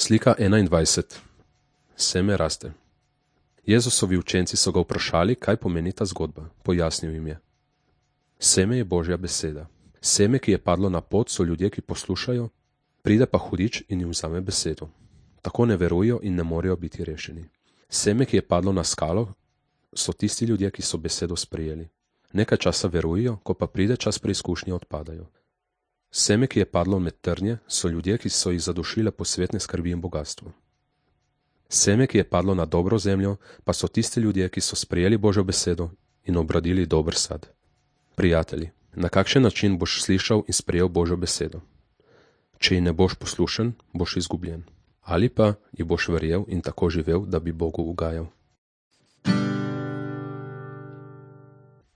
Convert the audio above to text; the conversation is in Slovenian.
Slika 21. Seme raste. Jezusovi učenci so ga vprašali, kaj pomeni ta zgodba. Pojasnil jim je. Seme je Božja beseda. Seme, ki je padlo na pot, so ljudje, ki poslušajo, pride pa hudič in jim vzame besedo. Tako ne verujejo in ne morejo biti rešeni. Seme, ki je padlo na skalo, so tisti ljudje, ki so besedo sprejeli. Nekaj časa verujejo, ko pa pride čas preizkušnje, odpadajo. Seme, ki je padlo med trnje, so ljudje, ki so jih zadušile posvetne skrbi in bogastvo. Seme, ki je padlo na dobro zemljo, pa so tisti ljudje, ki so sprejeli Božjo besedo in obradili dober sad. Prijatelji, na kakšen način boš slišal in sprejel Božjo besedo? Če ji ne boš poslušen, boš izgubljen. Ali pa ji boš verjel in tako živel, da bi Bogu ugajal.